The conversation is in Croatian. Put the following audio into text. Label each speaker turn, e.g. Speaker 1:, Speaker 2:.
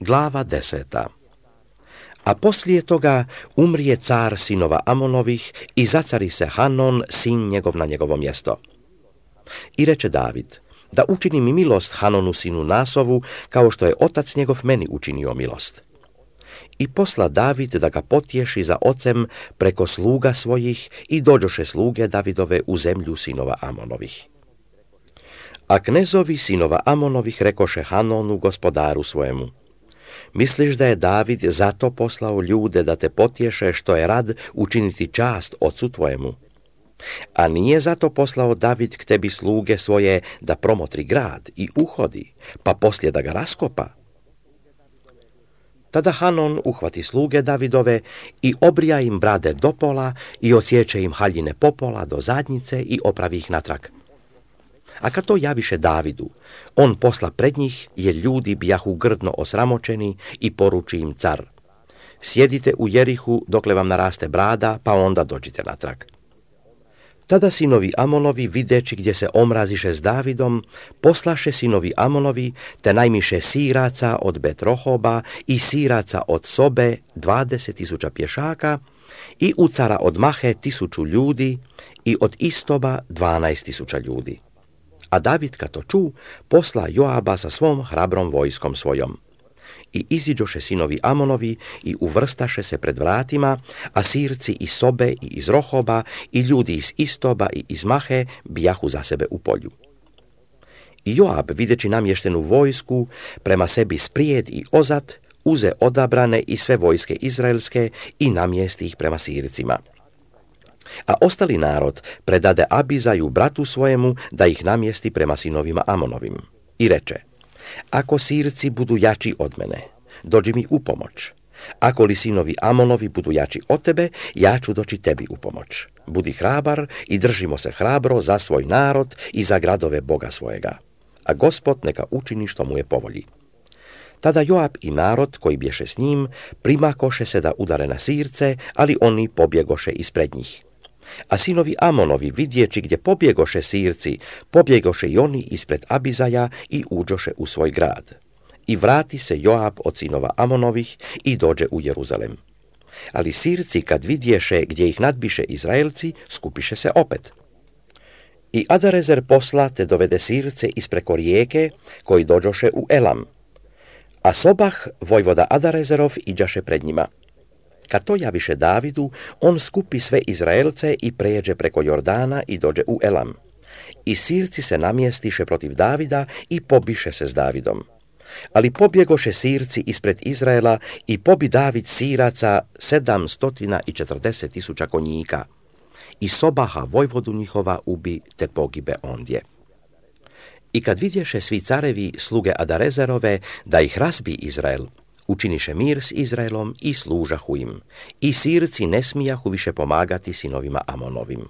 Speaker 1: Glava 10. A poslije toga umrije car sinova Amonovih i zacari se Hanon, sin njegov, na njegovo mjesto. I reče David, da učini mi milost Hanonu sinu Nasovu, kao što je otac njegov meni učinio milost. I posla David da ga potješi za ocem preko sluga svojih i dođoše sluge Davidove u zemlju sinova Amonovih. A knezovi sinova Amonovih rekoše Hanonu, gospodaru svojemu, misliš da je David zato poslao ljude da te potješe što je rad učiniti čast ocu tvojemu? A nije zato poslao David k tebi sluge svoje da promotri grad i uhodi, pa poslije da ga raskopa? Tada Hanon uhvati sluge Davidove i obrija im brade do pola i osjeće im haljine popola do zadnjice i opravi ih natrag. A kad to javiše Davidu, on posla pred njih, jer ljudi bijahu grdno osramočeni, i poruči im car: sjedite u Jerihu dokle vam naraste brada, pa onda dođite natrag. Tada sinovi Amonovi, videći gdje se omraziše s Davidom, poslaše sinovi Amonovi, te najmiše Siraca od Betrohoba i Siraca od Sobe 20.000 pješaka i ucara od Mahe 1.000 ljudi i od Istoba 12.000 ljudi. A David kad to ču, posla Joaba sa svom hrabrom vojskom svojom. I iziđoše sinovi Amonovi i uvrstaše se pred vratima, a Sirci iz Sobe i iz Rohoba i ljudi iz Istoba i iz Mahe bijahu za sebe u polju. I Joab, videći namještenu vojsku, prema sebi sprijed i ozad, uze odabrane i sve vojske izraelske i namjesti ih prema Sircima. A ostali narod predade Abizaju bratu svojemu da ih namjesti prema sinovima Amonovim. I reče: ako Sirci budu jači od mene, dođi mi u pomoć. Ako li sinovi Amonovi budu jači od tebe, ja ću doći tebi u pomoć. Budi hrabar i držimo se hrabro za svoj narod i za gradove Boga svojega. A Gospod neka učini što mu je po volji. Tada Joab i narod koji bješe s njim primakoše se da udare na Sirce, ali oni pobjegoše ispred njih. A sinovi Amonovi, vidjeći gdje pobjegoše Sirci, pobjegoše i oni ispred Abizaja i uđoše u svoj grad. I vrati se Joab od sinova Amonovih i dođe u Jeruzalem. Ali Sirci, kad vidješe gdje ih nadbiše Izraelci, skupiše se opet. I Adarezer posla te dovede Sirce ispreko rijeke, koji dođoše u Elam. A Sobah, vojvoda Adarezerov, iđaše pred njima. Kad to javiše Davidu, on skupi sve Izraelce i pređe preko Jordana i dođe u Elam. I Sirci se namjestiše protiv Davida i pobiše se s Davidom. Ali pobjegoše Sirci ispred Izraela i pobi David Siraca 740.000 konjika. I Sobaha, vojvodu njihova, ubi te pogibe ondje. I kad vidješe svi carevi sluge Adarezerove da ih razbi Izrael, učiniše mir s Izraelom i služahu im. I Sirci ne smijahu više pomagati sinovima Amonovim.